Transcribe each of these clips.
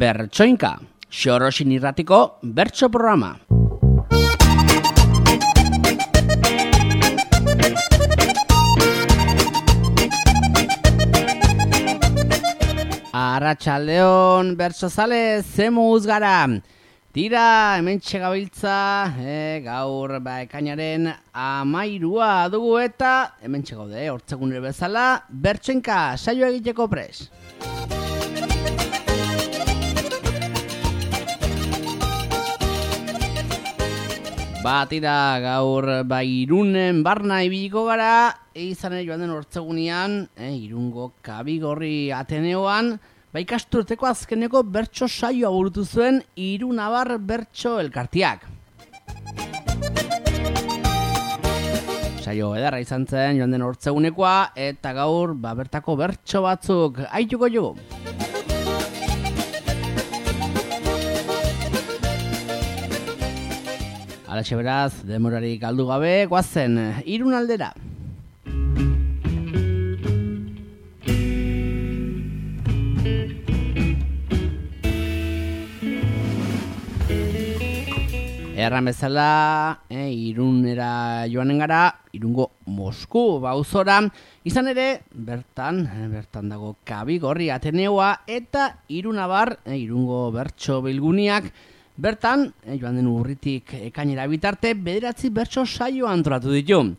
Bertsoinka, Xorosin irratiko bertso programa. Arratsaldeon bertsozale, zemuz gara. Tira, hemen txegabiltza, gaur ekainaren 13 dugu eta hemen txegaude, hortzegunero bezala, bertsoinka saio egiteko pres. Tira, gaur Irunen barna ibiliko gara, izan joan den hortzegunean, Irungo Kabigorri Ateneoan, ikasturteko azkeneko bertso saioa burutu zuen Irunabar bertso elkartiak. Saio edarra izan zen joan den hortzegunekoa eta gaur bertako bertso batzuk aituko jugu. Alaxe beraz, demorarik galdu gabe, goazen Irun aldera. Erran bezala, Irunera joanen gara, Irungo Mosku auzora, izan ere, bertan dago Kabigorri Ateneoa eta Irunabar, Irungo bertso bilguniak, bertan, joan den urritik ekainera bitarte, 9 bertso saio antolatu ditu.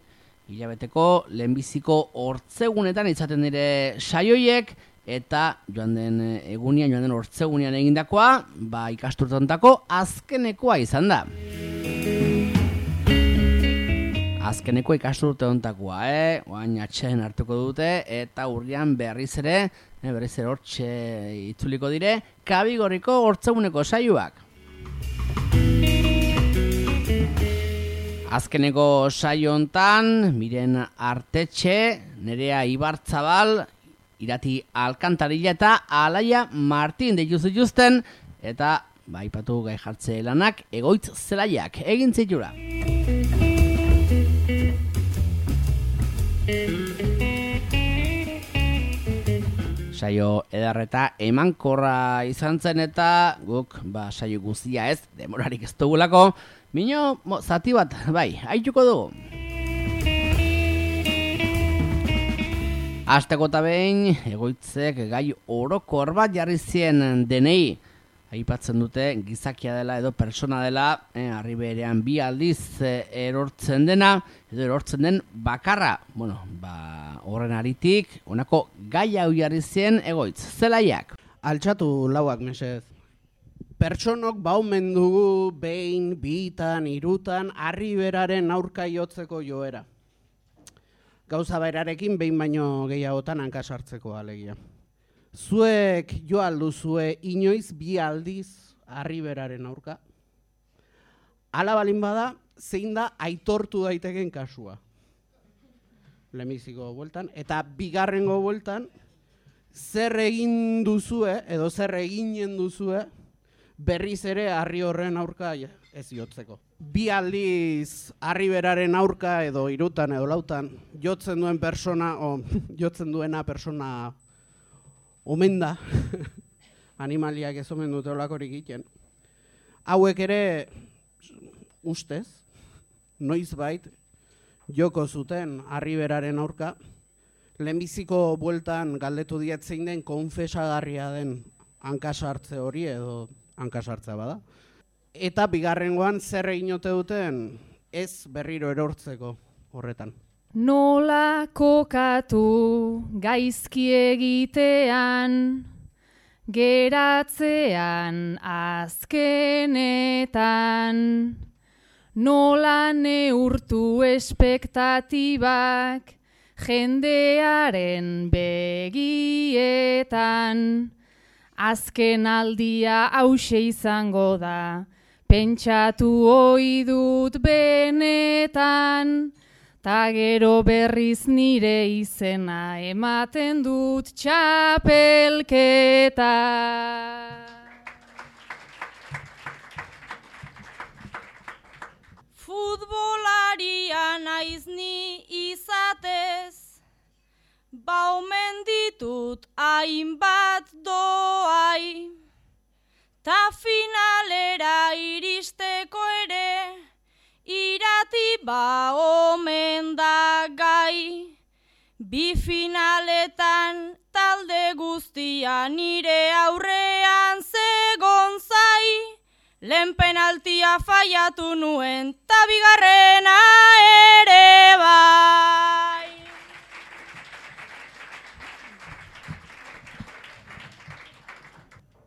Hilabeteko lehenbiziko hortzegunetan izaten dire saioiek, eta joan den hortzegunean egindakoa, ikasturteontako azkenekoa izan da. Azkeneko ikasturteontakoa, oain atxeen hartuko dute, eta urrian berriz ere hortxe itzuliko dire, Kabigorriko hortzeguneko saioak. Azkeneko saio hontan, Miren Artetxe, Nerea Ibarzabal, Irati Alkantarilla eta Alaia Martin deitu zituzten, eta aipatu gai jartze lanak egoitz zelaiak egin zitula. Saio edarreta emankorra izan zen eta guk saio guztia ez, demorarik ez dugulako, mino zati bat, aituko dugu. Hasteko eta behin, egoitzek gai orokor bat jarri zien denei. Aipatzen dute gizakia dela edo persona dela, arriberean 2 aldiz erortzen dena, edo erortzen den bakarra. Horren aritik, honako gai hau jarri zien egoitz, zelaiak. Altxatu lauak mesez. Pertsonok baumen dugu behin, 2, 3 arriberaren aurka jotzeko joera. Gauza berarekin behin baino gehiagotan hankasartzeko alegia. Zuek jo alduzue inoiz 2 aldiz arriberaren aurka. Hala balin bada, zein da aitortu daiteken kasua. Lehenbiziko bueltan, eta bigarrengo bueltan, zer egin duzue, edo zer eginen duzue, berriz ere harri horren aurka ez jotzeko. 2 aldiz arriberaren aurka edo 3 edo 4 jotzen duena persona omen da, animaliak ez omen dute olakorik egiten. Hauek ere, ustez, noizbait, joko zuten arriberaren aurka, lehenbiziko bueltan galdetu diet zein den konfesagarria den hankasartze hori edo hankasartzea bada. Eta bigarrengoan zer egin ote duten ez berriro erortzeko horretan. Nola kokatu gaizki egitean, geratzean azkenetan, nola neurtu espektatibak jendearen begietan, azken aldia hauxe izango da, pentsatu ohi dut benetan, ta gero berriz nire izena ematen dut txapelketa. Futbolaria naiz ni izatez, baumen ditut hainbat doai, ta finalera iristeko ere, irati ba omen da gai. Bi finaletan talde guztia nire aurrean zegon zai, lehen penaltia faiatu nuen, ta bigarrena ere bai.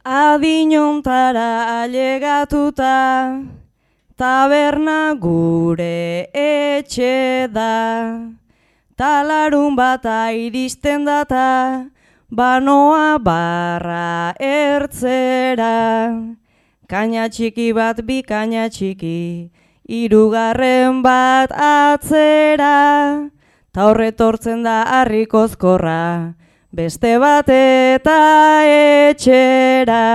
Adinontara ailegatuta, taberna gure etxe da. Talarun bata iristen data, banoa barra ertzera. Kaina txiki bat bi kaina txiki, hirugarren bat atzera. Ta horretortzen da harrikozkorra, beste bat eta etxera.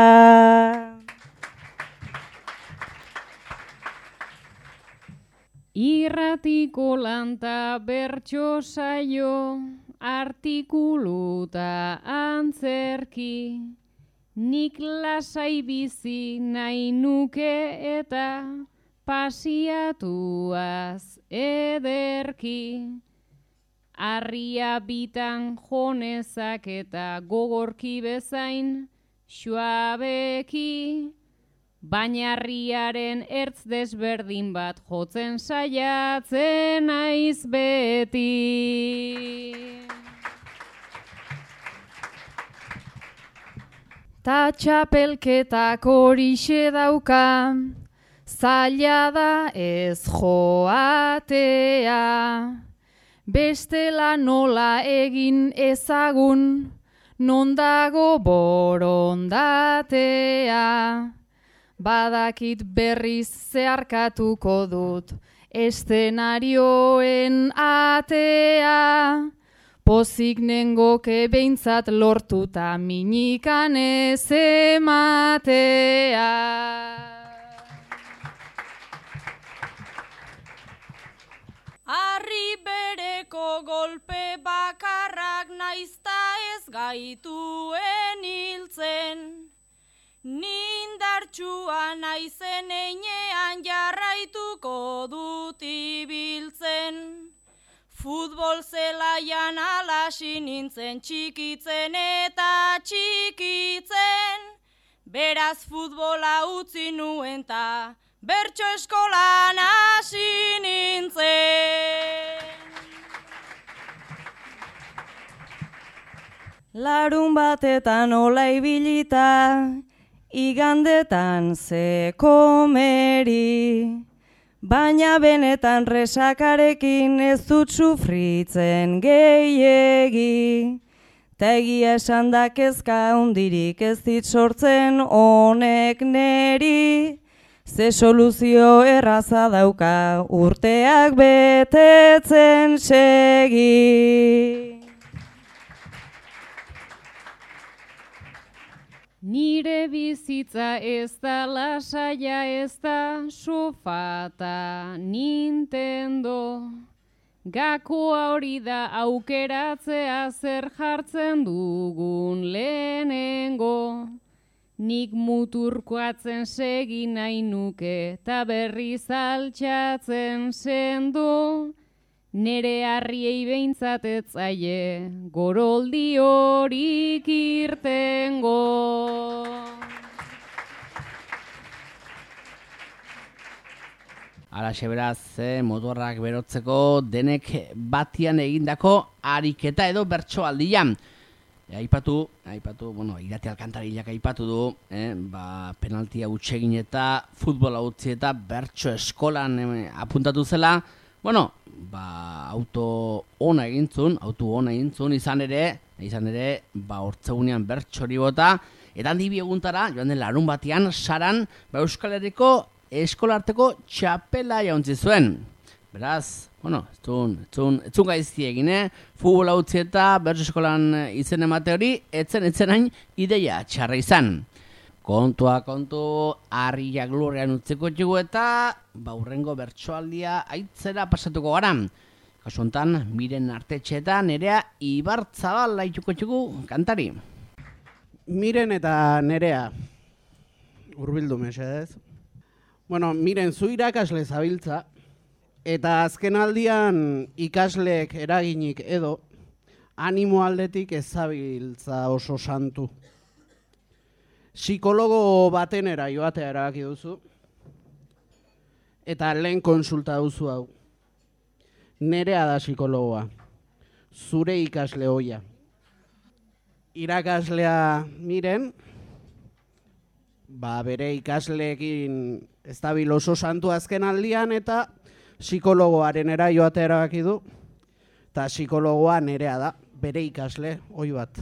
Irratiko lanta bertso saio, artikuluta antzerki, nik lasai bizi nahi nuke eta pasiatuaz ederki. Arria bitan jonezak eta gogorki bezain suabeki, baina harriaren ertz desberdin bat jotzen saiatzen naiz beti. Ta txapelketak horixe dauka, zaila da ez joatea. Bestela nola egin ezagun, non dago borondatea. Badakit berriz zeharkatuko dut eszenarioen atea. Pozik nengoke behintzat lortuta minikan ez ematea. Harri bereko golpe bakarrak naizta ez gaituen hiltzen. Nindartsua naizen einean jarraituko dut ibiltzen. Futbol zelaian alasi nintzen txikitzen eta txikitzen. Beraz futbola utzi nuen ta bertso eskolan hasi nintzen. Larun batetan ola ibilita, igandetan ze komeri. Baina benetan resakarekin ez dut sufritzen gehiegi. Ta egia esan da kezka hundirik ez dit sortzen honek neri. Ze soluzio erraza dauka urteak betetzen segi. Nire bizitza ez da lasaia, ez da sofata Nintendo. Gakoa hori da aukeratzea zer jartzen dugun lehenengo. Nik muturkoatzen segi nahi nuke ta berriz altxatzen sendo. Nere harriei behintzat ez zaie goroldi horik irtengo. Alaxe beraz, motorrak berotzeko denek batian egindako ariketa edo bertsoaldian. Aipatu, Irati Alkantarilak aipatu du, penaltia hutsegin eta futbola utzi eta bertso eskolan apuntatu zela. Auto ona egintzun, izan ere, hortzegunean bertsori bota, eta handi bieguntara, joan den larun batean, saran, Euskal Herriko eskolarteko txapela jauntzi zuen. Beraz, etzun gaizki egin, futbola utzi eta bertso eskolan izen emate hori, etzen hain ideia txarra izan. Kontu, harriak lurrean utziko txugu eta hurrengo bertsoaldia aitzera pasatuko gara. Kasu honetan, Miren Artetxeetan Nerea Ibarzabal laituko txugu kantari. Miren eta Nerea. hurbildu mesedez. Bueno, miren, zu irakasle zabiltza, eta azken aldian ikasleek eraginik edo, animo aldetik ez zabiltza oso santu. Psikologo batenera joatea erabaki duzu, eta lehen konsulta duzu hau. Nerea da psikologoa, zure ikasle hoia. Irakaslea miren, bere ikasleekin ez dabil oso santu azken aldian, eta psikologoarenera joatea erabaki du, eta psikologoa Nerea da, bere ikasle hoi bat.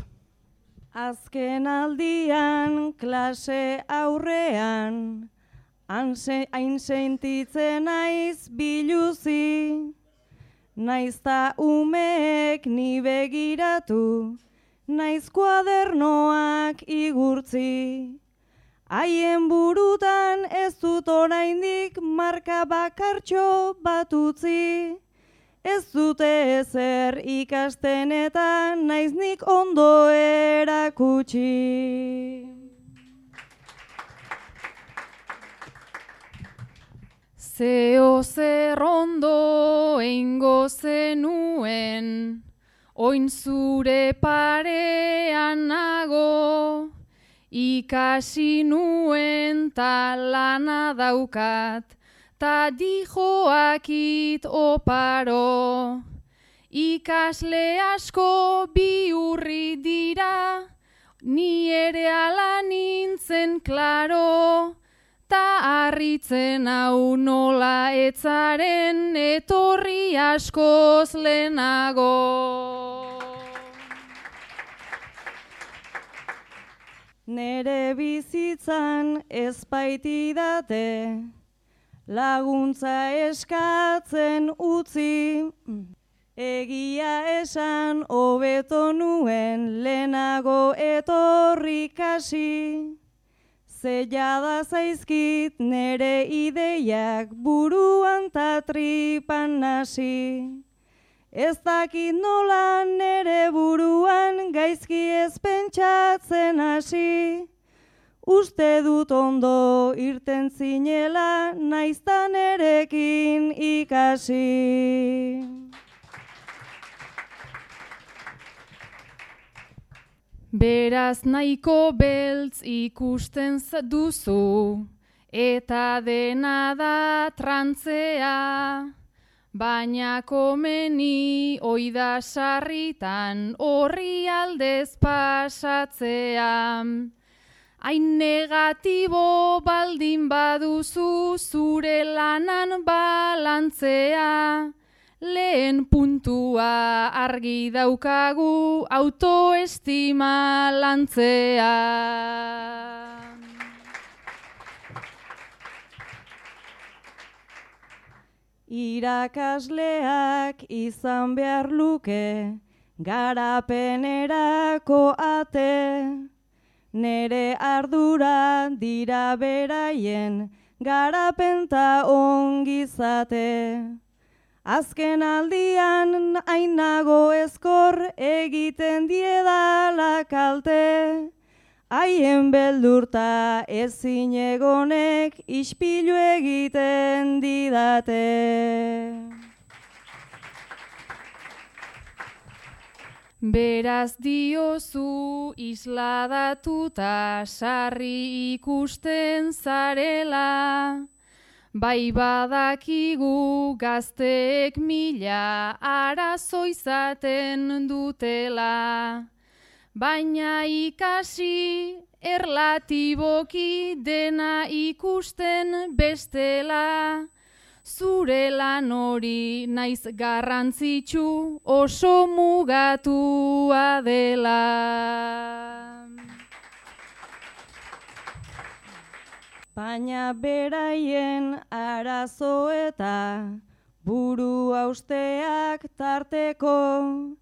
Azken aldian klase aurrean, hain sentitzen naiz biluzi, naizta umeek ni begiratu, naiz kuadernoak igurtzi. Haien burutan ez dut oraindik marka bakartxo bat utzi. Ez dute ezer ikasten eta naiz nik ondo erakutsi. Zeo zer ondo eingo zenuen, oin zure parean nago, ikasi nuen ta lana daukat, ta dijoakit oparo. Ikasle asko bihurri dira, ni ere ala nintzen klaro, ta harritzen hau nola etzaren etorri askoz lehenago. Nere bizitzan ez baitidate, laguntza eskatzen utzi, egia esan hobeto nuen lehenago etorri kasi, ze jada zaizkit nere ideiak buruan ta tripan nasi. Ez dakit nola nere buruan gaizki ez pentsatzen hasi, uste dut ondo irten zinela naizta nerekin ikasi. Beraz nahiko beltz ikusten duzu, eta dena da trantzea, baina komeni oida sarritan horri aldez pasatzea. Hain negatibo baldin baduzu zure lanan balantzea, lehen puntua argi daukagu autoestima lantzea. Irakasleak izan behar luke garapenerako ate, nere ardura dira beraien garapenta ongizate. Azken aldian hainago ezkor egiten diedala kalte, haien beldurta ezin egonek ispilu egiten didate. Beraz diozu isladatuta sarri ikusten zarela, bai badakigu gazteek mila arazo izaten dutela, baina ikasi erlatiboki dena ikusten bestela, zure lan hori naiz garrantzitsu oso mugatua dela. Baina beraien arazo eta buru hausteak tarteko,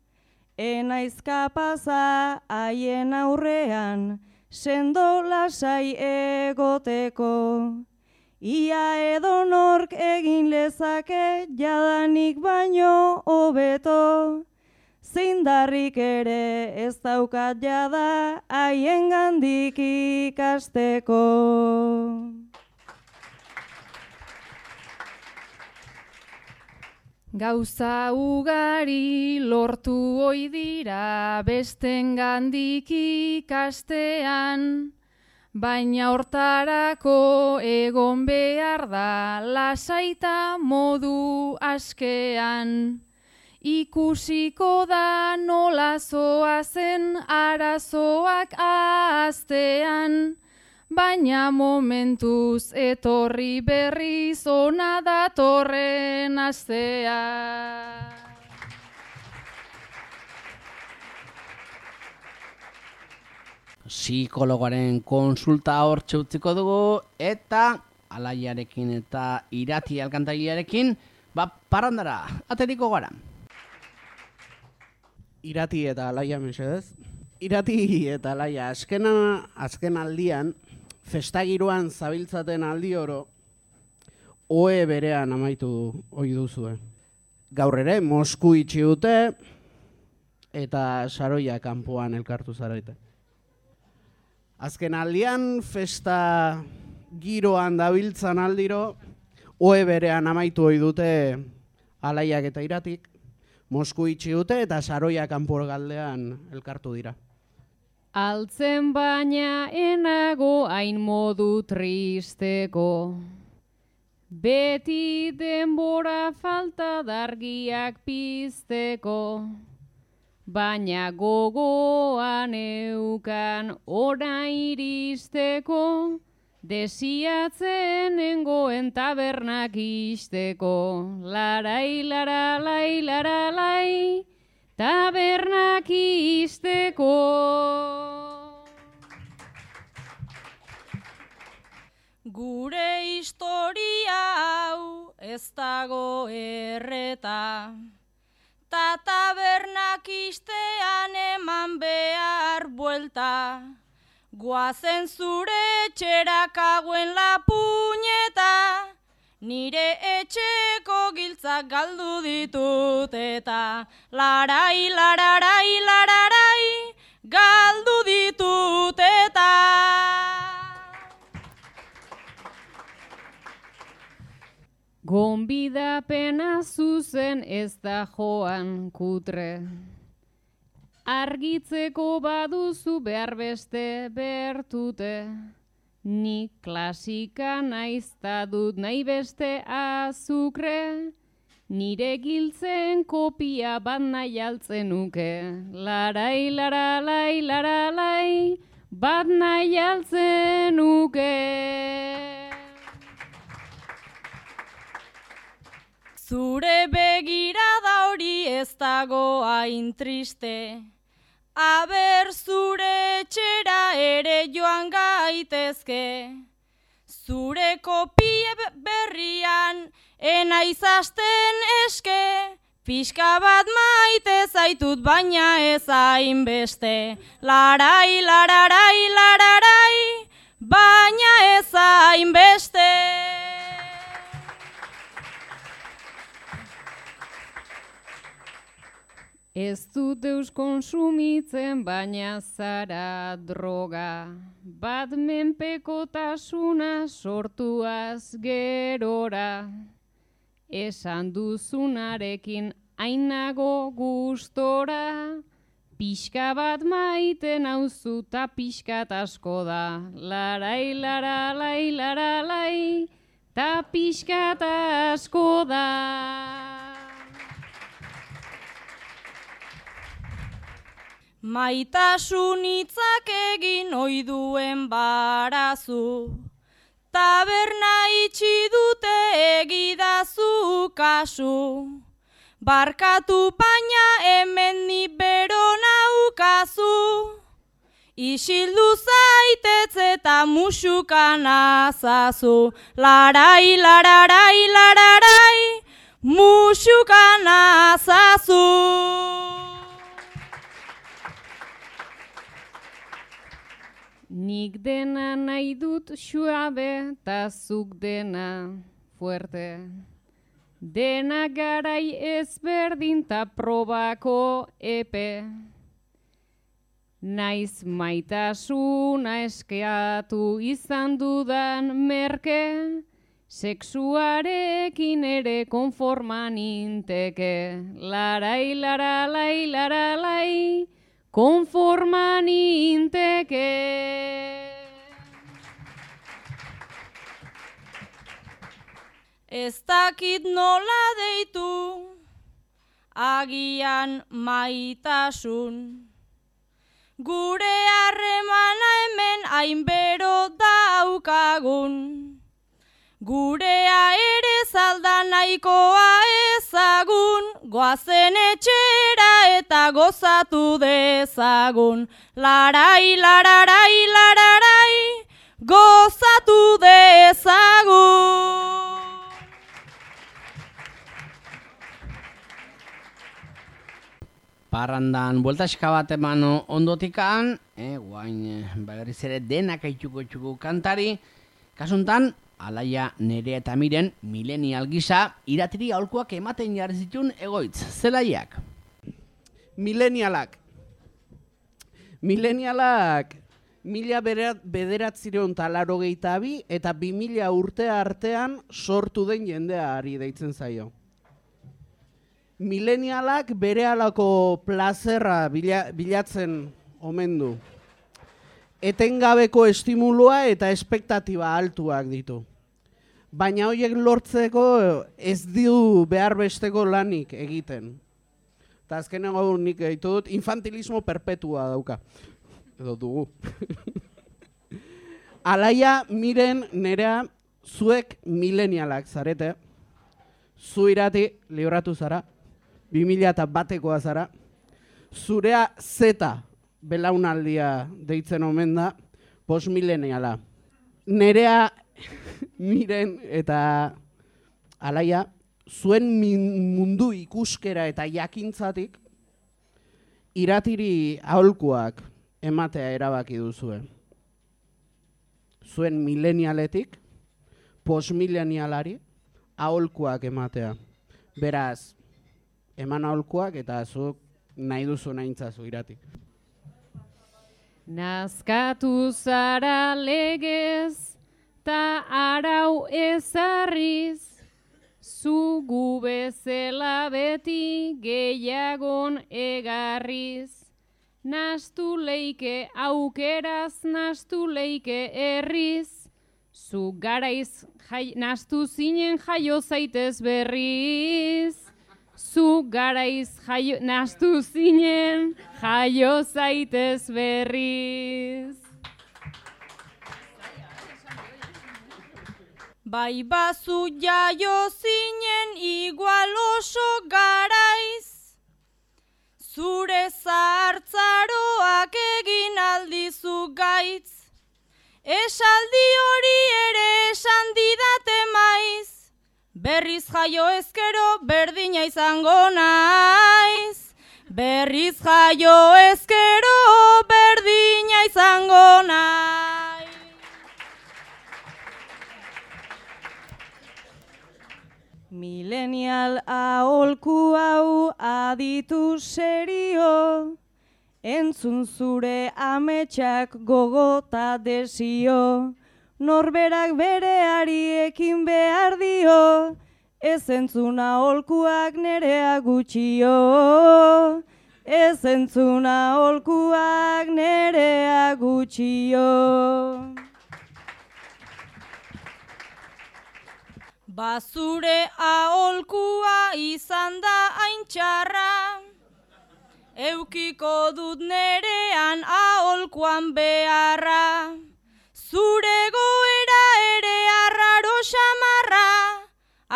enaiz kapaza haien aurrean sendo lasai egoteko. Ia edonork egin lezake jadanik baino hobeto, Zeindarrik ere ez daukat jada haiengandik ikasteko. Gauza ugari lortu ohi dira bestengandik ikastean, baina hortarako egon behar da lasaita modu askean. Ikusiko da nola zoazen arazoak ahaztean, baina momentuz etorri berriz ona datorren astea. Psikologoaren konsulta hortxe utziko dugu, eta Alaiarekin eta Irati alkantariarekin, parrandara, ateriko gara. Irati eta Alaia mesedez. Irati eta Alaia, azken aldian, festagiroan zabiltzaten aldi oro, ohe berean amaitu ohi duzue. Gaur ere, Mosku itxi dute, eta Saroia kanpoan elkartu zarete. Azken aldian, festa giroan dabiltzan aldiro, ohe berean amaitu ohi dute Alaiak eta Iratik, Mosku itxi dute eta Saroia kanpo galdean elkartu dira. Altzen baina enago hain modu tristeko. Beti denbora falta dargiak pizteko. Baina gogoan eukan ora iristeko. Desiatzen nengoen tabernak isteko. Larai, laralai, laralai, tabernak isteko. Gure historia hau ez dago erreta, ta tabernak istean eman behar buelta. Guazen zure etxerak hauen la puñeta, nire etxeko giltzak galdu ditut eta larai, lararai, lararai, galdu ditut eta. Gonbidapena zuzen ez da joan kutre. Argitzeko baduzu behar beste bertute. Ni klasika naiz ta dut nahi beste azukre. Nire giltzen kopia bat nahi altzen nuke. Larai, laralai, laralai, bat nahi altzen nuke. Zure begirada hori ez dago hain triste. Aber zure etxera ere joan gaitezke. Zure kopia berrian enaiz hasten eske. Pixka bat maite zaitut baina ez hainbeste. Larai, lararai, lararai, baina ez hainbeste. Ez dut eus konsumitzen baina zara droga. Bat menpekotasuna sortuaz gerora. Esan duzunarekin hainago gustora. Pixka bat maiten nauzu ta pixkat asko da. Larai, laralai, laralai, ta pixkat asko da. Maitasun hitzak egin ohi duen barazu, taberna itxi dute egidazu kasu. Barkatu baina hemen ni bero naukazu, isildu zaitez eta musukan azazu. Larai, lararai, lararai, musukan azazu. Nik dena nahi dut suabe ta zuk dena fuerte. Denak garai ezberdin ta probako epe. Naiz maitasuna eskeatu izan dudan merke, sexuarekin ere konforma ninteke. Larai, laralai, laralai, konforma ninteke. Ez dakit nola deitu, agian maitasun. Gure harremana hemen hainbero daukagun. Gurea ere zalda nahikoa ezagun, goazen etxera eta gozatu dezagun. Larai, lararai, lararai, gozatu dezagun. Parrandan bueltaxka bat eman ondotikan, guain berriz ere denak aituko kantari, kasuntan, Alaia, Nerea eta Miren, milenial gisa, iratiri aholkuak ematen jarri zituen egoitz, zelaiak? Milenialak, 1982 eta 2000 urte artean sortu den jendeari deitzen zaio. Milenialak berehalako plazerra bilatzen omen du. Etengabeko estimulua eta espektatiba altuak ditu. Baina horiek lortzeko ez du behar besteko lanik egiten. Eta azkenengo nik gaitu dut, infantilismo perpetua dauka. Edo dugu. Alaia, Miren, Nerea, zuek milenialak zarete. Zu irati libratu zara. 2001koa zara. Zurea zeta belaunaldia deitzen omen da, postmileniala. Nerea, Miren eta Alaia, zuen mundu ikuskera eta jakintzatik iratiri aholkuak ematea erabaki duzue. Zuen milenialetik, postmilenialari aholkuak ematea. Beraz, eman aholkuak eta zuk nahi duzu nahintzazu iratik. Nazkatu zara legez, ta arau ezarriz, zu gu bezala beti gehiagon egarriz. Nastu leike aukeraz, nastu leike herriz, zu garaiz nastu zinen jaio zaitez berriz. Zu garaiz nastu zinen jaio zaitez berriz. Bai bazu jaio zinen igual oso garaiz, zure zahartzaroak egin aldizu gaitz. Esaldi hori ere esan didate maiz, berriz jaio ezkero berdina izango naiz. Berriz jaio ezkero berdina izango naiz. Milenial aholku hau aditu serio, entzun zure ametsak gogota desio. Norberak bereari ekin behar dio, ez entzuna aholkuak Nerea gutxio. Ez entzuna aholkuak Nerea gutxio. Bazure aholkua izan da hain txarra, eukiko dut nerean aholkuan beharra. Zure goera ere arraro xamarra,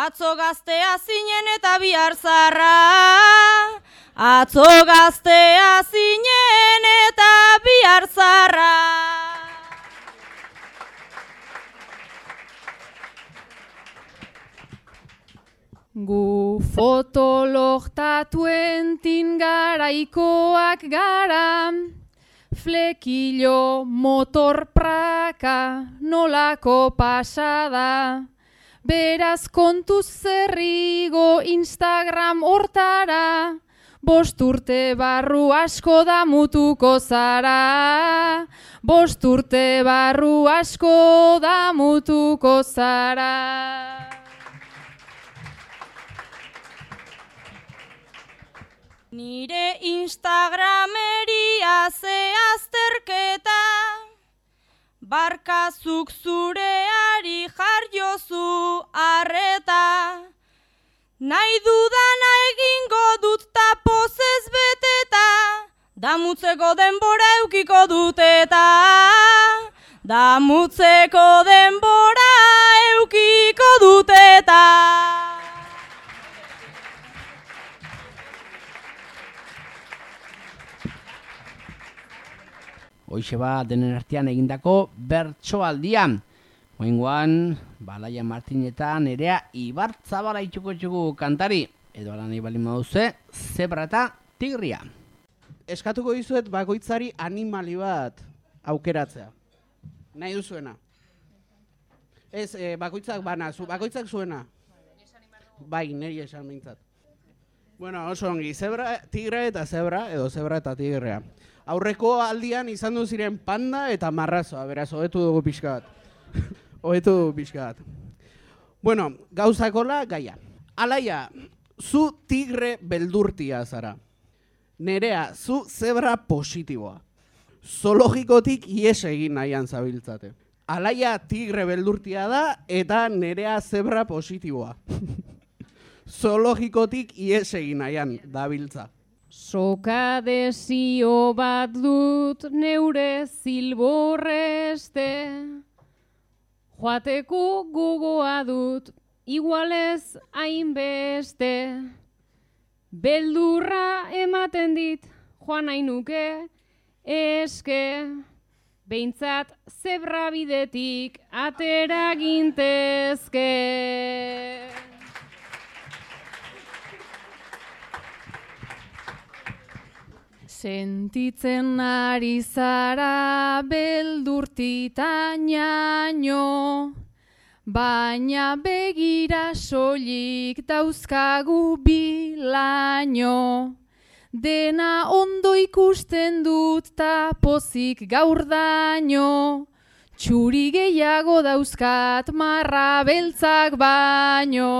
atzo gaztea zinen eta bihar zarra. Atzo gaztea zinen eta bihar zarra. Gu fotologtatuen garaikoak gara, flekilo motor praka nolako pasada, Beraz kontuz zerrigo Instagram hortara, 5 urte barru asko damutuko zara. 5 urte barru asko damutuko zara. Nire Instagrameria ze azterketa, barkazuk zureari jarjozu arreta. Nahi dudana egingo dut ta pozez beteta, damutzeko denbora eukiko dut eta. Damutzeko denbora eukiko dut eta. Hoixe ba denen artean egindako bertsoaldian. Oingoan, Balaia Martin eta Nerea Ibarzabala itxuko kantari. Edo ala nahi bali maduze, zebra eta tigria. Eskatuko dizuet bakoitzari animali bat aukeratzea. Nahi duzuena. Ez, bakoitzak bana, bakoitzak zuena. Bai, niri esan behintzat. Bueno, oso ongi, zebra, tigre eta zebra, edo zebra eta tigrea. Aurreko aldian izan du ziren panda eta marrazoa, beraz, hobetu dugu pixka bat. Hobetu dugu pixka bat. Bueno, gauzakola gaia. Alaia, zu tigre beldurtia zara. Nerea, zu zebra positiboa. Zoologikotik ies egin nahian zabiltzate. Alaia tigre beldurtia da eta Nerea zebra positiboa. Zoologikotik ies egin nahian dabiltza. Soka desio bat dut neure zilborreste, joateko gogoa dut igualez hainbeste. Beldurra ematen dit joan nahi nuke eske, behintzat zebra bidetik atera gintezke. Sentitzen ari zara beldurtitaino, baina begira soilik dauzkagu bilaino. Dena ondo ikusten dut ta pozik gaur daino, txuri gehiago dauzkat marra beltzak baino.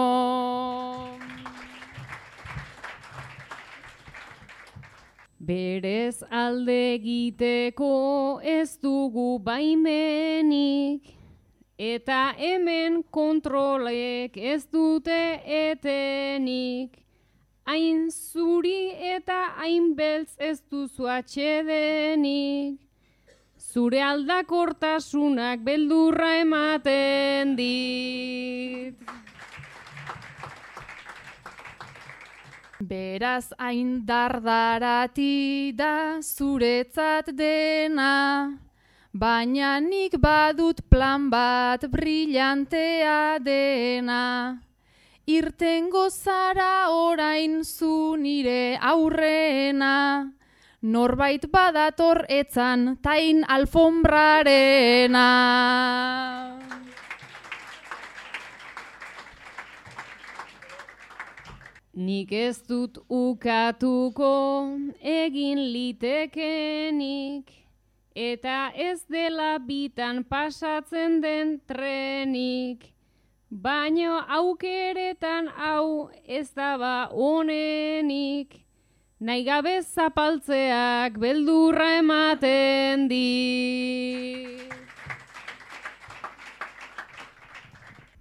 Berez alde egiteko ez dugu baimenik, eta hemen kontrolek ez dute etenik. Hain zuri eta hain beltz ez duzu atsedenik, zure aldakortasunak beldurra ematen dit. Beraz hain dardarati da zuretzat dena, baina nik badut plan bat brillantea dena. Irtengo zara orain zu nire aurrena, norbait badator etzan tain alfombrarena. Nik ez dut ukatuko egin litekenik, eta ez dela bitan pasatzen den trenik. Baina aukeretan hau ez daba onenik, nahi gabe zapaltzeak beldurra ematen dit.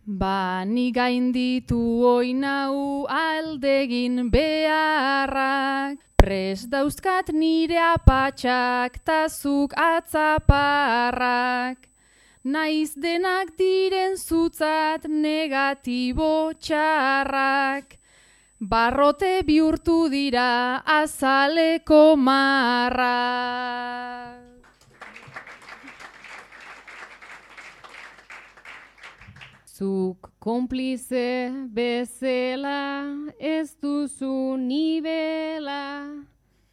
Ba, ni gainditu oinau aldegin beharrak, prest dauzkat nire apatxak tazuk atzaparrak. Naiz denak diren zutzat negatibo txarrak, barrote bihurtu dira azaleko marrak. Zuk konplize bezala ez duzu nibela,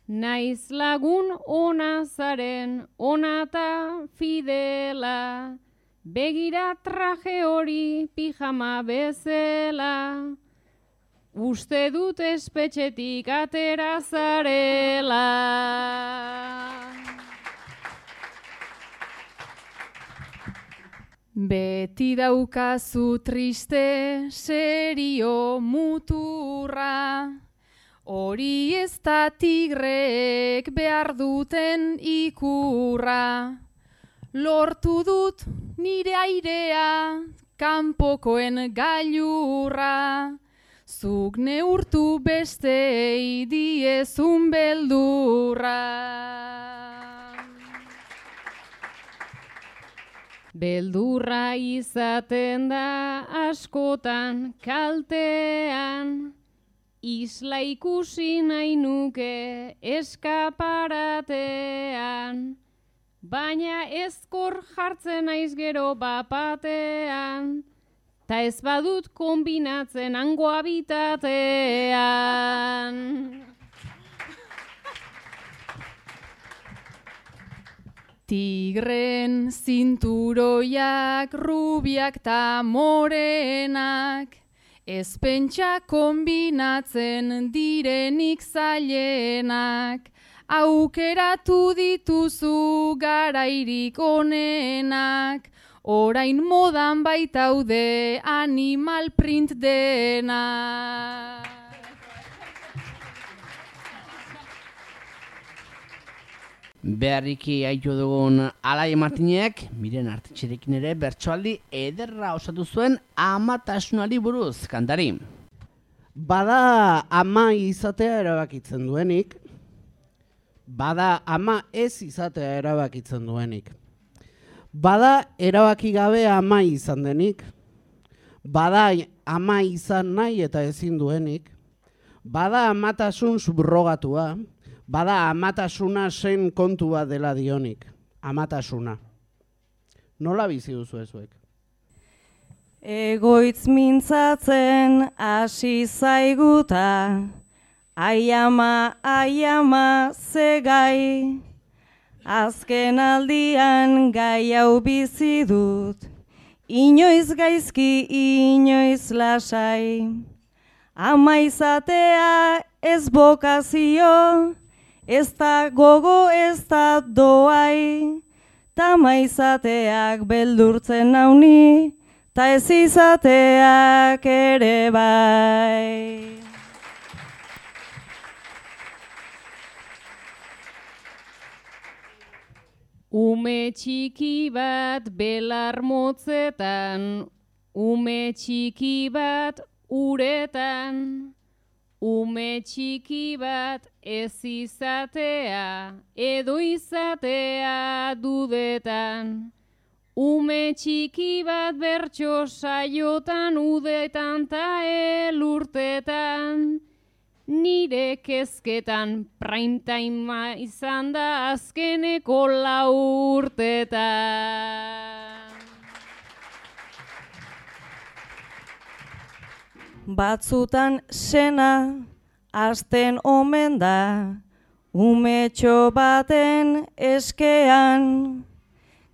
naiz lagun ona zaren onata fidela, Begira traje hori pijama bezala, uste dut espetxetik atera zarela. Beti daukazu triste, serio, muturra, hori ez da tigreek behar duten ikurra. Lortu dut nire airea, kanpokoen gailurra, zuk neurtu bestei diezun beldurra. Beldurra izaten da askotan kaltean, isla ikusi nahi nuke eskaparatean, baina ezkor jartzen naiz gero bapatean, ta ez badut kombinatzen hango habitatean. Tigren zinturoiak, rubiak ta morenak, ez pentsa kombinatzen direnik zailenak, aukeratu dituzu garairik onenak, orain modan baitaude animal print denak. Beharriki haitu dugun Alaia Martinek, Miren Artetxerekin ere bertsoaldi ederra osatu zuen amatasunari buruz, kantari. Bada ama izatea erabakitzen duenik, bada ama ez izatea erabakitzen duenik. Bada erabaki gabe ama izan denik, bada ama izan nahi eta ezin duenik, bada amatasun subrogatua, bada amatasuna zen kontua dela dionik, amatasuna. Nola bizi duzu ezuek? Egoitz mintzatzen hasi zaiguta, ai ama ze gai, azken aldian gai hau bizi dut, inoiz gaizki, inoiz lasai, ama izatea ez bokazio, ez da gogo, ez da doai, ta ama izateak beldurtzen nauni, ta ez izateak ere bai. Ume txiki bat belar motzetan, ume txiki bat uretan, ume txiki bat ez izatea, edo izatea dudetan. Ume txiki bat bertso saiotan, udetan ta elurtetan. Nire kezketan prime time izan da azkeneko 4 urtetan. Batzutan sena hasten omen da, umetxo baten eskean,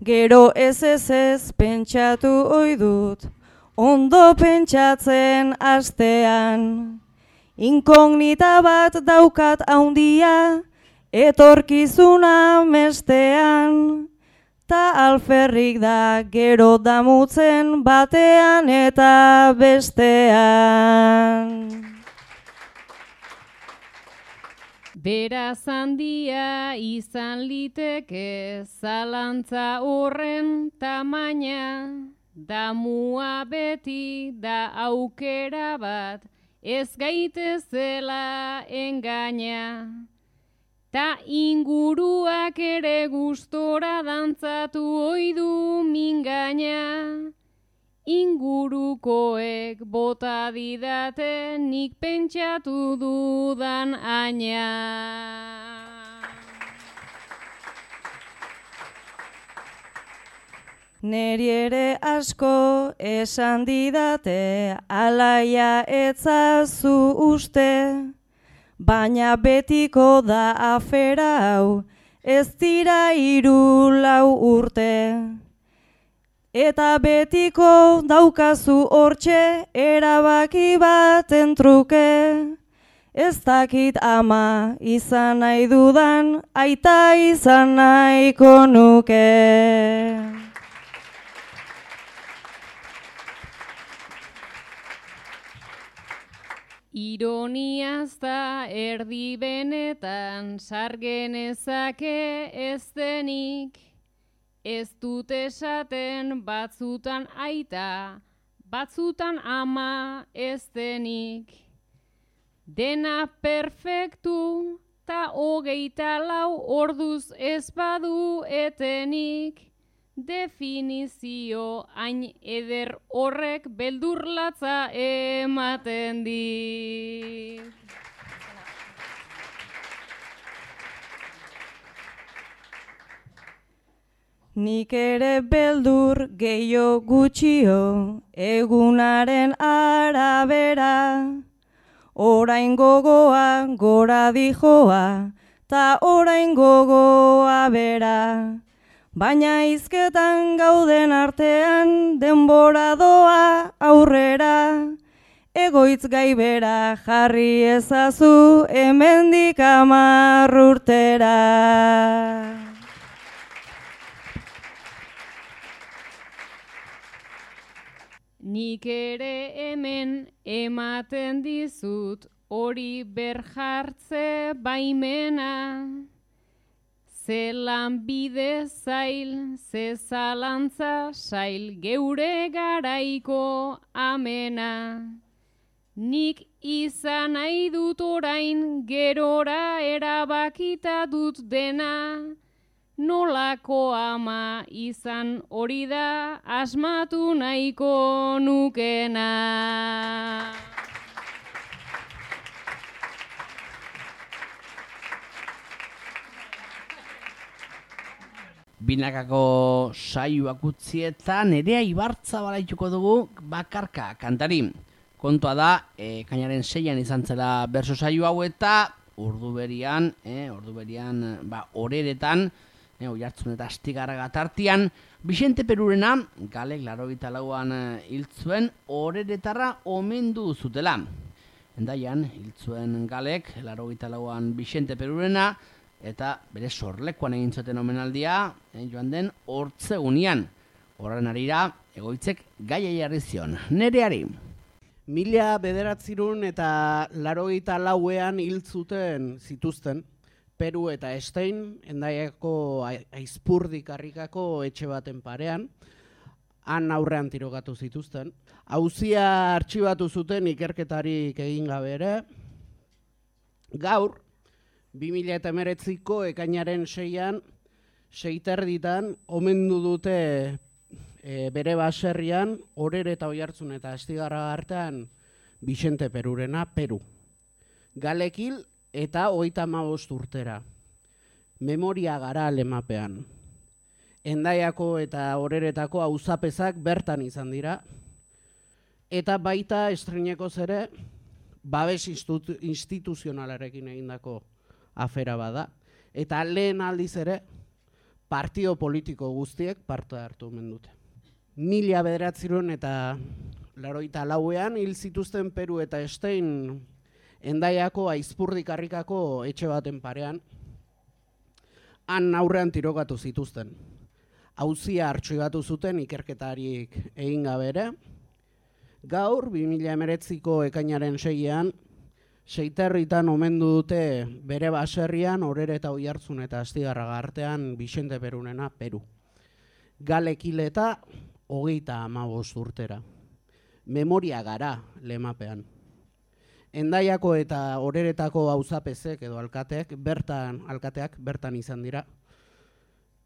gero ez pentsatu ohi dut, ondo pentsatzen hastean. Inkognita bat daukat haundia, etorkizuna mestean, ta alferrik da gero damutzen batean eta bestean. Beraz handia izan liteke zalantza horren tamaina, damua beti da aukera bat, ez gaitezela engaina. Ta inguruak ere gustora dantzatu ohi du mingaina. Ingurukoek bota didate nik pentsatu dudan aina. Neri ere asko esan didate, Alaia etzazu uste, baina betiko da afera hau, ez dira 3-4 urte. eta betiko daukazu hortxe erabaki baten truke. Ez dakit ama izan nahi dudan, aita izan nahiko nuke. Ironiaz da erdi benetan sargenezake ez denik, ez dut esaten batzutan aita, batzutan ama ez denik. Dena perfektu ta 24 orduz ez badu etenik, definizio hain eder horrek beldurlatza ematen dit. Nik ere beldur gehiago gutxio egunaren arabera, orain gogoa gora dijoa, ta orain gogoa bera. Baina hizketan gauden artean denbora doa aurrera, egoitz gai bera jarri ezazu hemendik 10 urtera. Nik ere hemen ematen dizut hori berjartze baimena. Ze lanbide zail, ze zalantza sail geure garaiko amena. Nik izan nahi dut orain gerora erabakita dut dena. Nolako ama izan hori da asmatu nahiko nukena. Binakako saioak utzietan Nerea Ibarzabala ituko dugu bakarka kantari. Kontua da, ekainaren 6an izan zela berso saio hau eta orduberian, horeretan, Oiartzun eta Astigarraga tartian, Bixente Perurena, galek 84an hil zuen horeretarra omendu zutela. Hendaian, hil zuen galek 84an Bixente Perurena, eta bere sorlekuan egin zuten omenaldia, joan den hortzegunian. Horren arira, egoitzek gaia jarri zion. Nereari. 1984ean hil zituzten, Peru eta Estein, Hendaiako Aizpurdik harrikako etxe baten parean, han aurrean tirokatu zituzten. Auzia artxibatu zuten ikerketarik egin gabe ere. Gaur, 2019ko ekainaren 6an, 6:30 omendu dute bere baserrian, Orere eta Oiartzun eta Astigarraga artean Bixente Perurena, Peru. Galekil eta 35 urtera. Memoria gara lemapean. Hendaiako eta Oreretako auzapezak bertan izan dira, eta baita estreinekoz ere babes instituzionalarekin egindako afera bada. Eta lehen aldiz ere, partio politiko guztiek parte hartu omen dute. 1984ean hil zituzten Peru eta Estein Hendaiako Aizpurdik harrikako etxe baten parean, han aurrean tirokatu zituzten. Auzia artxibatu zuten ikerketarik egin gabe ere. Gaur, 2019ko ekainaren 6an, 6:30 omendu dute bere baserrian, Orere eta Oiartzun eta Astigarraga artean Bixente Perurena, Peru. Galekil eta 35 urtera. Memoria gara lemapean. Hendaiako eta Oreretako auzapezek edo alkateak bertan izan dira.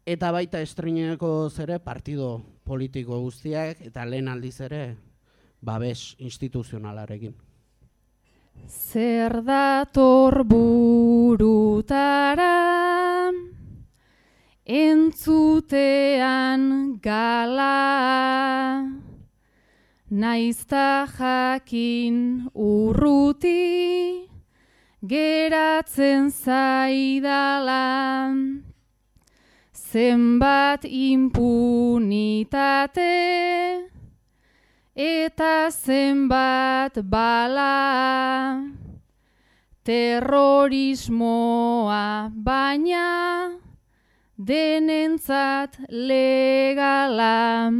Eta baita estreineko zere partido politiko guztiak eta lehen aldiz ere babes instituzionalarekin. Zer dator burutara, entzutean gala, naizta jakin urruti, geratzen zaidala. zenbat impunitate eta zenbat bala, terrorismoa baina denentzat legala.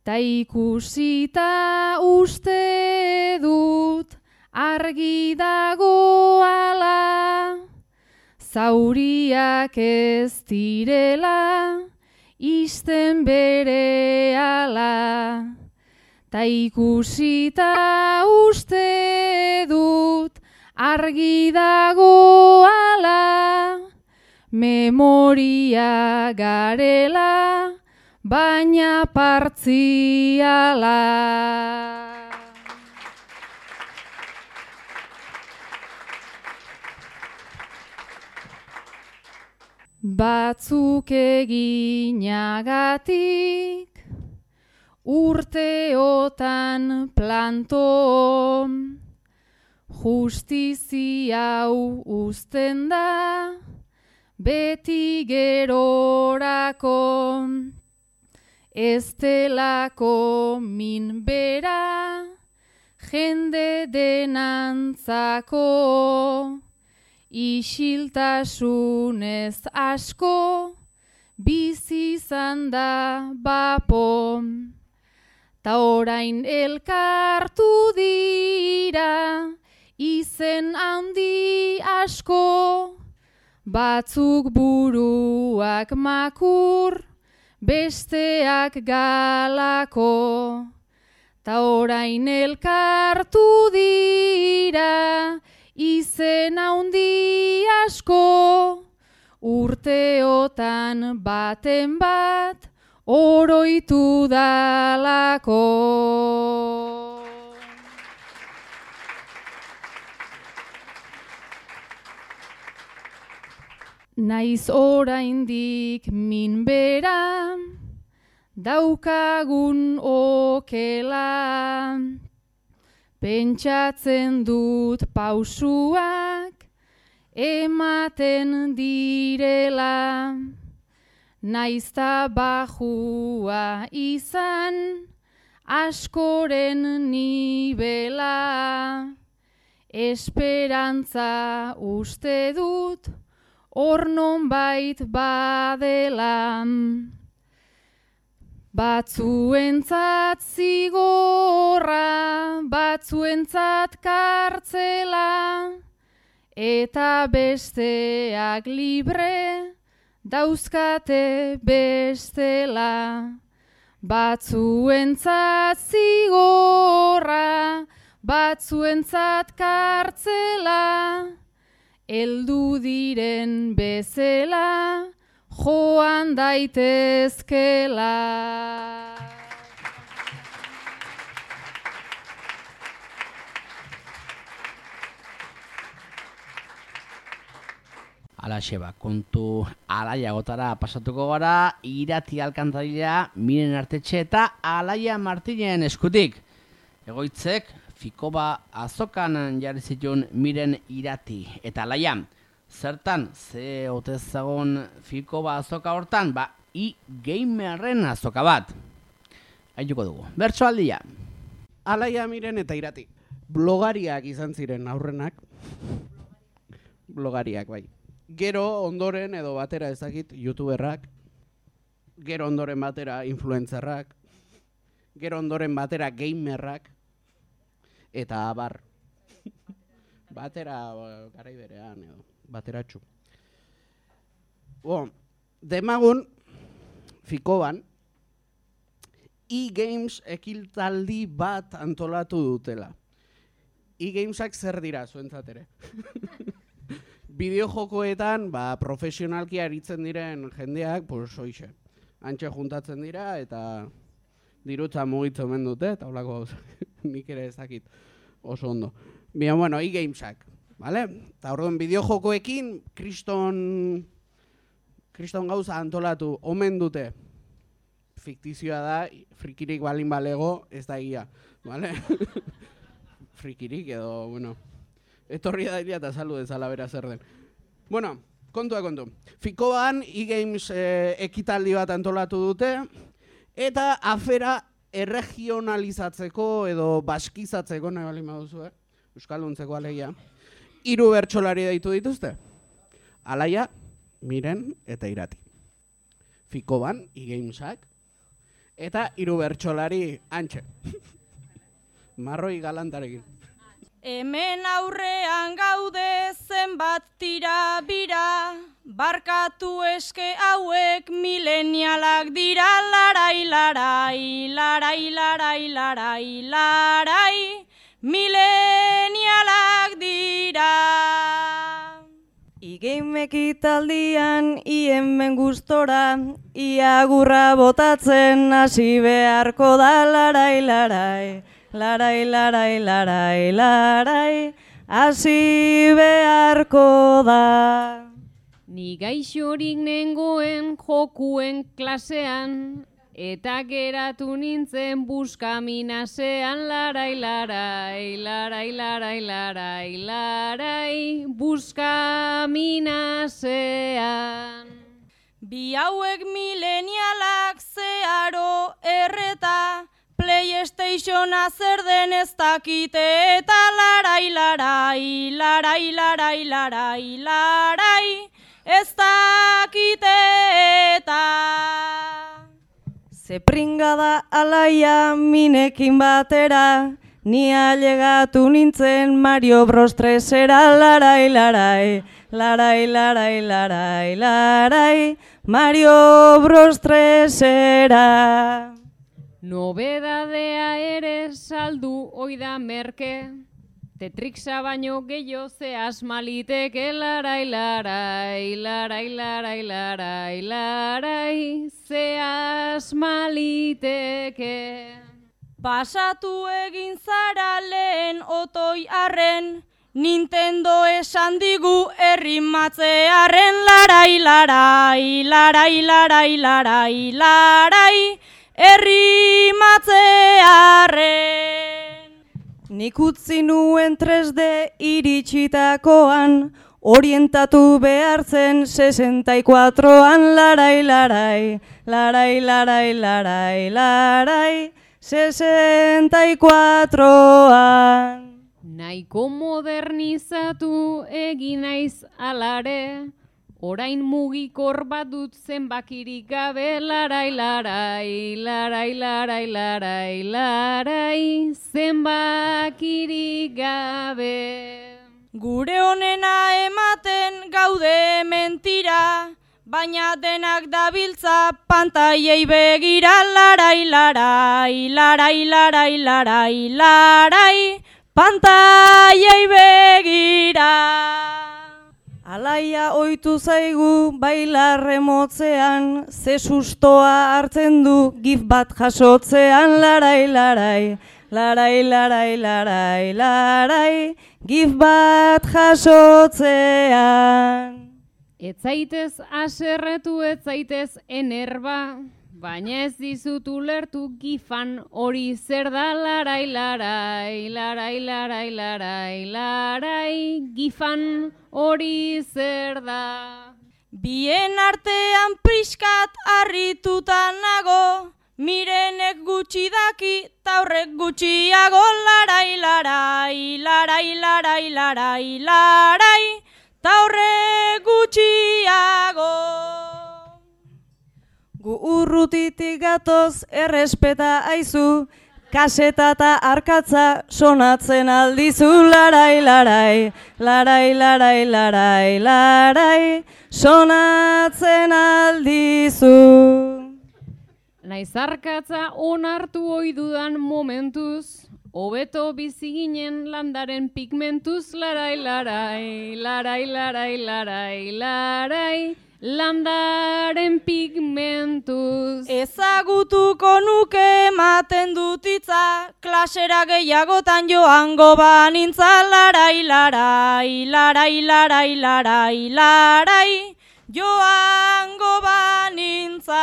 Ta ikusita uste dut argi dagoala, zauriak ez direla isten berehala. Ta ikusita uste dut argi dagoala, memoria garela, baina partziala. Batzuk eginagatik urteotan planto, justizia hau uzten da beti gerorako, ez delako minbera jende denantzako, isiltasunez asko bizi izan da bapo. Ta orain elkartu dira izen handi asko, batzuk buruak makur, besteak galako. Ta orain elkartu dira izen handi asko, urteotan baten bat oroitu dalako. Naiz oraindik minbera daukagun okela, pentsatzen dut pausuak ematen direla, naizta bajua izan askoren nibela, esperantza uste dut hor nonbait badela. Batzuentzat zigorra, batzuentzat kartzela, eta besteak libre dauzkate bestela. Batzuentzat zigorra, batzuentzat kartzela, heldu diren bezela joan daitezkela. Alaxe ba, kontu alaiagotara pasatuko gara, Irati Alkantarila, Miren Artetxe eta Alaia Martinen eskutik. Egoitzek, Fikoba azokan jarri zituen Miren Irati eta Alaia. Zertan, ze otezagon Fikoba azoka hortan, ba, gamerren azoka bat. Haituko dugu, bertso aldia. Alaia, Miren eta Irati. Blogariak izan ziren aurrenak. Blogariak, bai. Gero ondoren edo batera ezakit youtuberrak, gero ondoren batera influencerrak, gero ondoren batera gamerrak, eta abar. Batera garai berean edo, bateratxu. Demagun, Fikoban, e-games ekiltaldi bat antolatu dutela. E-gamesak zer dira zuentzat ere? Bideojokoetan, profesionalki aritzen diren jendeak, hoixe. Antxe juntatzen dira eta dirutza mugitzen omen dute, eta holako nik ere ezakit oso ondo. Bien, bueno, e-gamesak, vale? Eta orduan bideojokoekin kriston gauza antolatu omen dute. Fiktizioa da, frikirik balin balego, ez da egia, vale? Frikirik edo, bueno, etorri da dira eta saldu dezala bera zer den. Bueno, kontu. Fikoan e-games ekitaldi bat antolatu dute, eta afera erregionalizatzeko edo baskizatzeko nahi bali maduzu, euskalduntzeko alegia. 3 bertsolari deitu dituzte. Alaia, Miren eta Irati. Fikoban, e-gamesak, eta 3 bertsolari antxe. Marroi galantarekin. Hemen aurrean gaude zenbat tira bira, barkatu eske hauek milenialak dira, larai, larai, larai, larai, larai, larai, milenialak dira. E-game ekitaldian hemen gustora, iagurra botatzen hasi beharko da, larai, larai. Larai, larai, larai, larai, hasi beharko da. Ni gaixorik nengoen jokuen klasean, eta geratu nintzen buskaminasean, larai, larai, larai, larai, larai, larai, buskaminasean. Bi hauek milenialak zeharo erreta, PlayStationa zer den ez dakite eta larai, larai, larai, larai, larai, larai, ez dakite eta. Ze pringa da Alaia Minekin batera, ni ailegatu nintzen Mario Bros 3era, larai, larai, larai, larai, larai, larai, Mario Bros 3era. Nobedadea ere saldu oida merke, Tetrixa baino gehiago ze asmaliteke, larai, larai, larai, larai, larai, larai, ze asmaliteke. Pasatu egin zara lehen otoi arren, Nintendo esan digu errimatzearen, larai, larai, larai, larai, larai, larai, errimatzearen. Nik utzi nuen 3D iritsitakoan, orientatu behartzen 64an, larai, larai, larai, larai, larai, larai, 64an. Nahiko modernizatu egin naiz alare, orain mugikor bat dut zenbakirik gabe, larai, larai, larai, larai, larai, larai, zenbakirik gabe. Gure honena ematen gaude mentira, baina denak dabiltza pantaiei begira, larai, larai, larai, larai, larai, larai, pantaiei begira. Alaia ohitu zaigu bailarre motzean, ze sustoa hartzen du gif bat jasotzean, larai, larai, larai, larai, larai, larai, gif bat jasotzean. Ez zaitez aserretu, ez zaitez enerba, baina ez dizut ulertu gifan hori zer da, larai, larai, larai, larai, larai, larai, gifan hori zer da. Bien artean pixkat harrituta nago, Mirenek gutxi daki, taurrek gutxiago, larai, larai, larai, larai, larai, larai, taurrek gutxiago. Gu urrutitik gatoz errespeta aizu, kaseta eta arkatza sonatzen aldizu, larai, larai, larai, larai, larai, larai, sonatzen aldizu. Naiz arkatza onartu ohi dudan momentuz, hobeto bizi ginen landaren pigmentuz, larai, larai, larai, larai, larai, larai, landaren pigmentuz. Ezagutuko nuke ematen dut hitza, klasera gehiagotan joango banintza, larai, larai, larai, larai, larai, larai, joango banintza.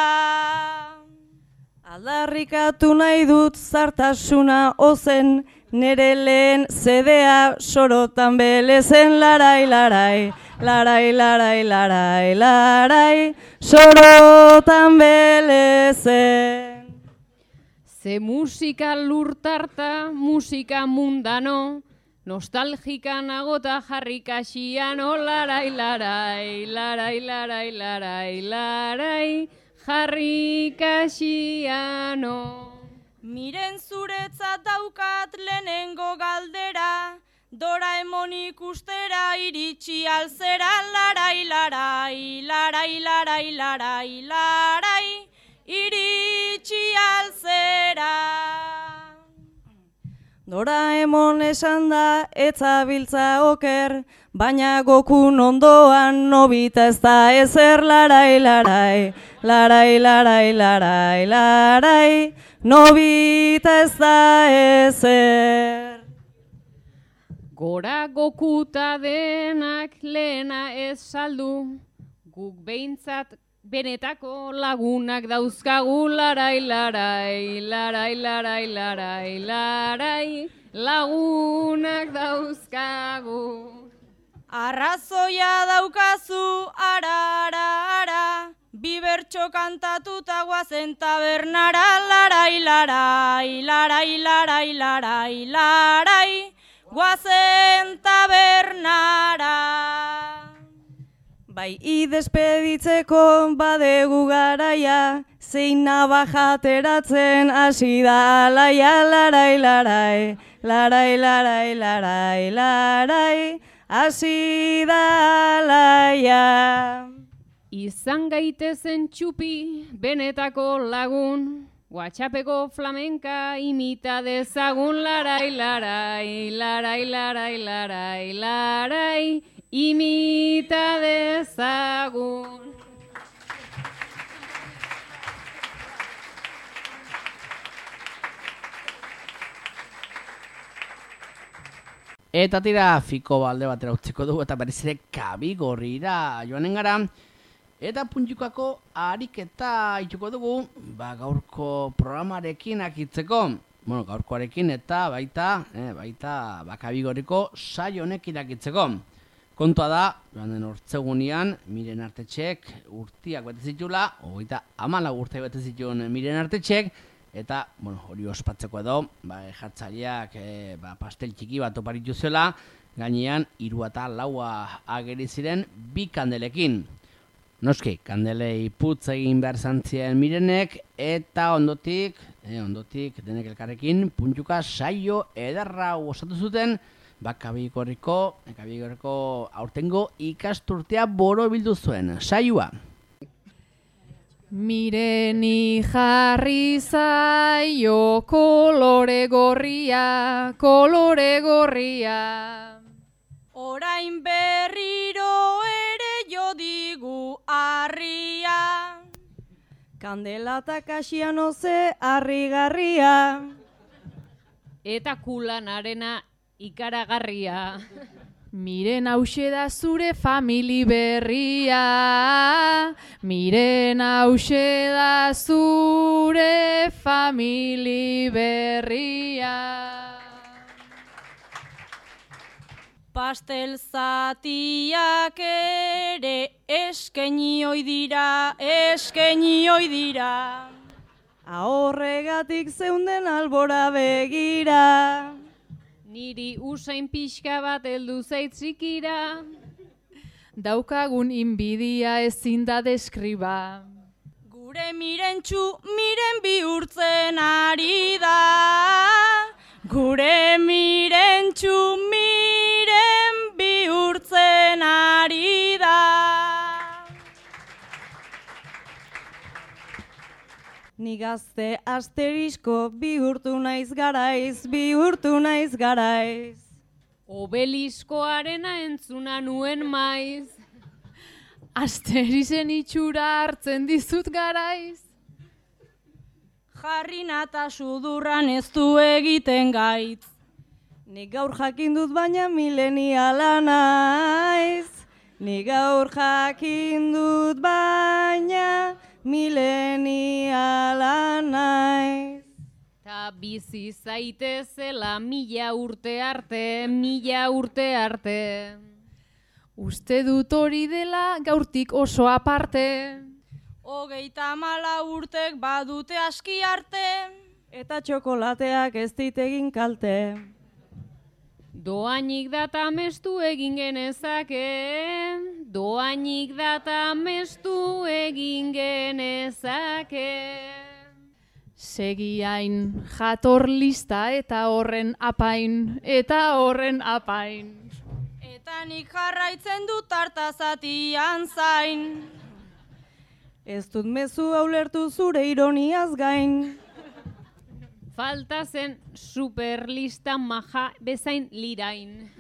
Aldarrikatu nahi dut zartasuna ozen, nere lehen zedea sorotan belezen, larai, larai, larai, larai, larai, larai, sorotan belezen. Ze musika lurtarta, musika mundano, nostalgika nagota jarrikasiano, larai, larai, larai, larai, larai, larai, jarrikasiano. Miren zuretzat daukat lehenengo galdera, Doraemon ikustera iritsi alzera, larai, larai, larai, larai, larai, larai, iritsi alzera. Doraemon esan da etzabiltza oker, baina Gokun ondoan Nobita ez da ezer, larai, larai, larai, larai, larai, larai, Nobita ez da ezer. Gora Gokuta denak lehena ez saldu, guk behintzat benetako lagunak dauzkagu, larai, larai, larai, larai, larai, larai, lagunak dauzkagu. Arrazoia daukazu, ara, ara, ara, bi bertso kantatuta guazen tabernara, larai, larai, larai, larai, larai, larai, guazen tabernara. Bai, idespeditzeko badegu garaia, zein nabajateratzen hasi da alaia, larai, larai, larai, larai, larai, larai, hasi da alaia. Izan gaitezen txupi benetako lagun, WhatsAppeko flamenka imita dezagun, larai, larai, larai, larai, larai, larai, imita dezagun. Eta tira, fiko balde batera utziko dugu eta berriz ere Kabigorrira joanen gara. Eta puntxukako ariketa ituko dugu, gaurko programarekin akitzeko. Bueno, gaurkoarekin eta baita Kabigorriko saio honekin akitzeko. Kontua da, joan den hortzegunean, Miren Artetxek urtiak bete zitula, 34 urte bete zituen Miren Artetxek, eta, hori ospatzeko edo, jartzaileak pastel txiki bat oparitu zuela, gainean 3 eta 4 ageri ziren 2 kandelekin. Noski, kandelei putz egin behar zantzien Mirenek, eta ondotik denek elkarrekin, puntxuka saio ederra osatu zuten, Kabigorriko aurtengo ikasturtea borobildu zuen. Saioa. Mireni jarri zaio kolore gorria, kolore gorria. Orain berriro ere jo digu harria. Kandela eta kasiano ze harrigarria. Eta kulanarena ikaragarria. Miren hause da zure famili berria, miren hause da zure famili berria. Pastel zatiak ere eskaini ohi dira, eskaini ohi dira. Ahorregatik zeunden albora begira. Niri usain pixka bat heldu zaitzikira. Daukagun inbidia ezin da deskriba. Gure mirentxu miren bihurtzen ari da. Gure mirentxu miren bihurtzen ari da. Ni gazte asterisko bihurtu naiz garaiz, bihurtu naiz garaiz. Obeliskoarena entzuna nuen maiz. Asterizen itxura hartzen dizut garaiz. Jarri nata sudurran ez du egiten gaitz. Nik gaur jakin dut baina mileniala naiz. Nik gaur jakin dut baina mileniala naiz. Ta bizi zaitezela 1000 urte arte, 1000 urte arte. Uste dut hori dela gaurtik oso aparte. 34 urtek badute aski arte, eta txokolateak ez dit egin kalte. Doainik data mestu egin genezake, doainik data mestu egin genezake. Segiain jator lista eta horren apain, eta horren apain. Eta nik jarraitzen dut tartazatian zain. Ez dut mezu ulertu zure ironiaz gain. Falta zen superlista maja bezain lirain.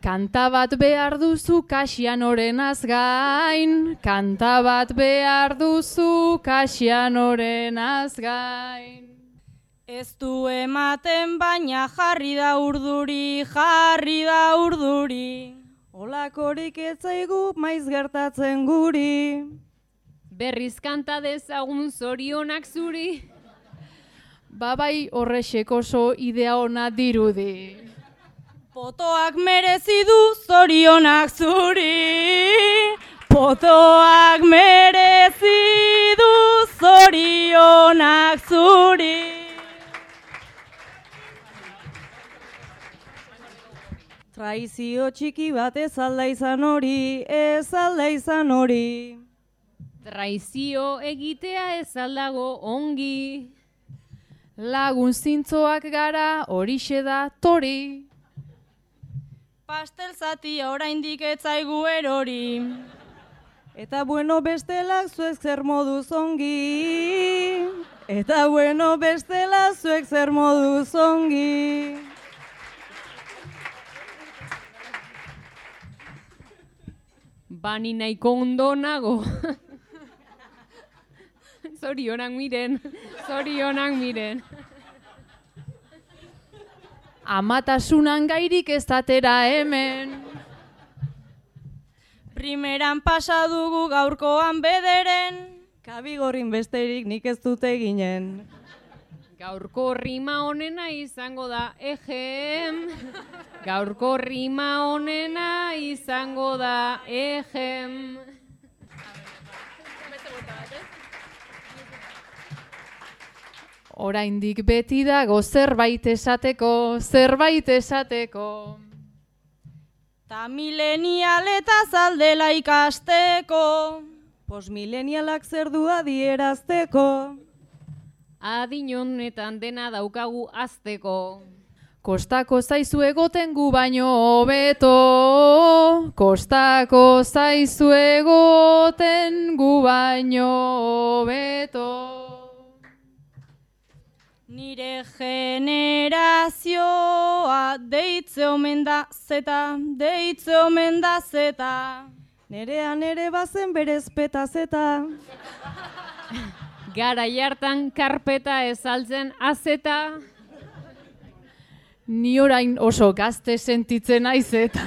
Kanta bat behar duzu Kasianorenaz gain, kanta bat behar duzu Kasianorenaz gain. Ez du ematen baina jarri da urduri, jarri da urduri. Olakorik ez zaigu maiz gertatzen guri. Berriz kanta dezagun zorionak zuri. Babai horrexek oso idea ona dirudi. Potoak merezi du zorionak zuri. Potoak merezi du zorionak zuri. Traizio txiki bat ez alda izan hori, ez alda izan hori. Traizio egitea ez aldago ongi. Lagun zintzoak gara horixe da tori. Pastel zatia oraindik ez zaigu erori. Eta bueno bestelak zuek zer moduz ongi. Eta bueno bestela zuek zer moduz ongi. Bani nahiko ondo nago. Zorionak miren, zorionak miren. Amatasunan gairik ez datera hemen. Primeran pasa dugu gaurkoan bederen. Kabigorrin besterik nik ez dute ginen. Gaurko rima honena izango da ejem. Gaurko rima honena izango da ejem. Oraindik beti dago zerbait esateko, zerbait esateko. Ta milenialetaz aldela ikasteko. Postmilenialak zer du adierazteko. Adin honetan dena daukagu azteko. Kostako zaizu egoten gu baino hobeto. Kostako zaizu egoten gu baino hobeto. Nire generazioa deitze omen da zeta, deitze omen da zeta. Nerean ere bazen berez peta zeta. Garai hartan karpeta ezaltzen azeta. Ni orain oso gazte sentitzen naiz eta.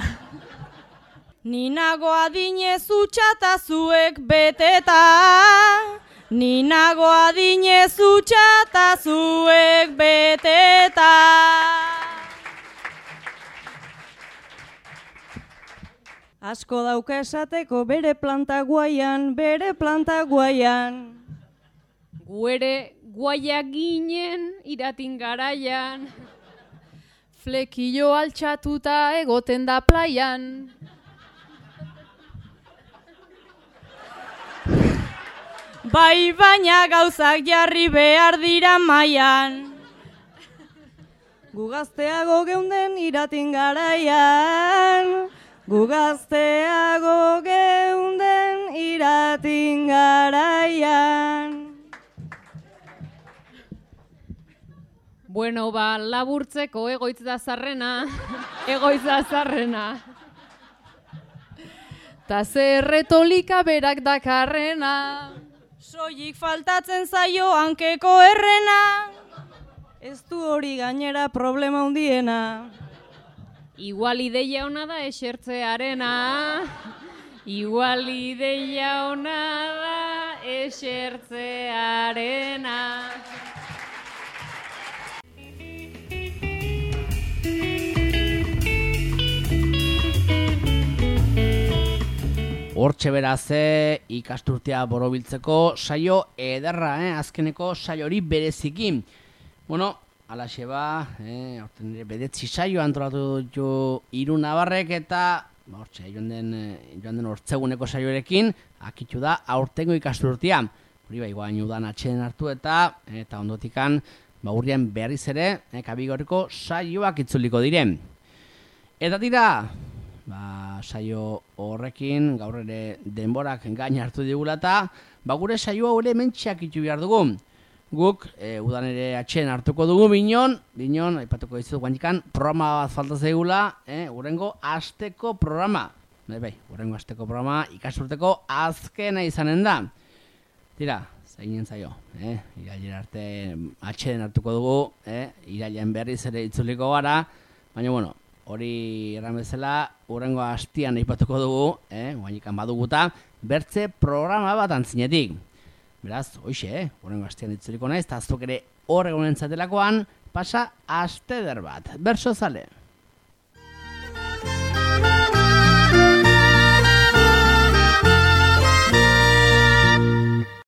Ni nago adinez utxata zuek beteta. Ni nago adinez utxata zuek beteta. Asko dauka esateko bere planta guaian, bere planta guaian. Gu ere guaiak ginen iratin garaian. Flekillo altxatuta egoten da plaian. Bai baina gauzak jarri behar dira mailan. Gu gazteago geunden iratin garaian. Gu gazteago geunden iratin garaian. Bueno, ba, laburtzeko egoitz da zarrena. Egoitz da zarrena. Ta zer retolika berak dakarrena. Soilik faltatzen zaio hankeko errena. Ez du hori gainera problema hundiena. Igual ideia ona da esertzearena. Igual ideia ona da esertzearena. Hortxe beraz, ikasturtea borobiltzeko saio ederra, azkeneko saio hori berezikin. Bueno, alaxe ba, horten nire bedetzi saio antolatu ditu Hiru Nabarrek eta hortxe, joan den hortzeguneko saioarekin, akitu da aurtengo ikasturtea. Hori bai, guain udan atxeden hartu eta ondotikan, urrian berriz ere, Kabigorriko saioak itzuliko diren. Eta tira, saio horrekin, gaur ere denborak gain hartu digula eta, gure saioa ere mentxeak itu behar dugu. Guk, udan ere atxeden hartuko dugu binon, aipatuko dizut guantikan, programa bat falta zaigula, urrengo asteko programa. Urrengo asteko programa ikasturteko azkena izanen da. Tira, zainen zaio, irailen arte atxeden hartuko dugu, irailen berriz ere itzuliko gara, baina bueno, hori erran bezala, urrengo astian aipatuko dugu, guainikan baduguta, bertze programa bat antzinetik. Beraz, hoxe, urrengo astian itzuliko naiz, eta azuk ere horregonen zatelakoan, pasa asteder bat. Berso zale!